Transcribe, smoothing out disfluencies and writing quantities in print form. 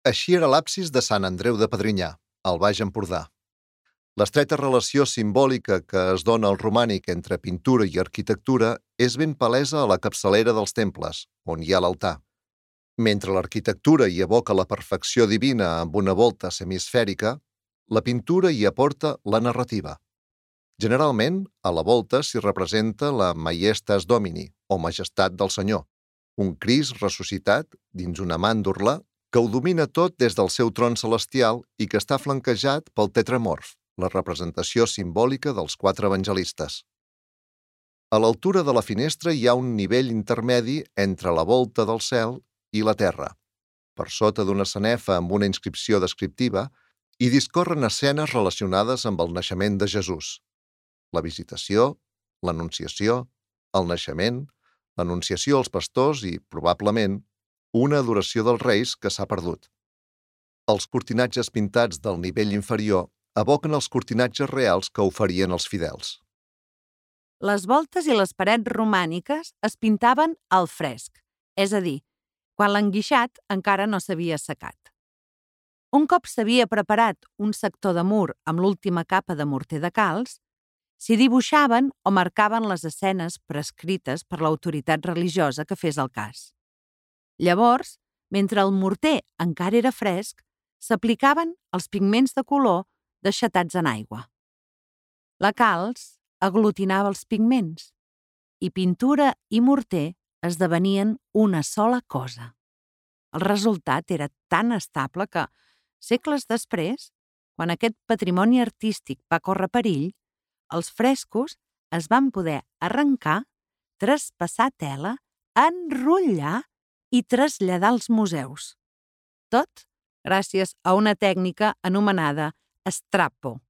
Així era l'absis de Sant Andreu de Pedrinyà, al Baix Empordà. L'estreta relació simbòlica que es dona al romànic entre pintura i arquitectura és ben palesa a la capçalera dels temples, on hi ha l'altar. Mentre l'arquitectura hi evoca la perfecció divina amb una volta semisfèrica, la pintura hi aporta la narrativa. Generalment, a la volta s'hi representa la Maiestas Domini, o Majestat del Senyor, un Crist ressuscitat dins una màndorla que ho domina tot des del seu tron celestial i que està flanquejat pel tetramorf, la representació simbòlica dels 4 evangelistes. A l'altura de la finestra hi ha un nivell intermedi entre la volta del cel i la terra. Per sota d'una sanefa amb una inscripció descriptiva hi discorren escenes relacionades amb el naixement de Jesús. La visitació, l'anunciació, el naixement, l'anunciació als pastors i, probablement, una adoració dels reis que s'ha perdut. Els cortinatges pintats del nivell inferior evoquen els cortinatges reals que oferien els fidels. Les voltes i les parets romàniques es pintaven al fresc, és a dir, quan l'enguixat encara no s'havia assecat. Un cop s'havia preparat un sector de mur amb l'última capa de morter de calç, s'hi dibuixaven o marcaven les escenes prescrites per l'autoritat religiosa que fes el cas. Llavors, mentre el morter encara era fresc, s'aplicaven els pigments de color deixatats en aigua. La calç aglutinava els pigments i pintura i morter esdevenien una sola cosa. El resultat era tan estable que, segles després, quan aquest patrimoni artístic va córrer perill, els frescos es van poder arrencar, traspassar tela, enrotllar i traslladar als museus. Tot gràcies a una tècnica anomenada strappo.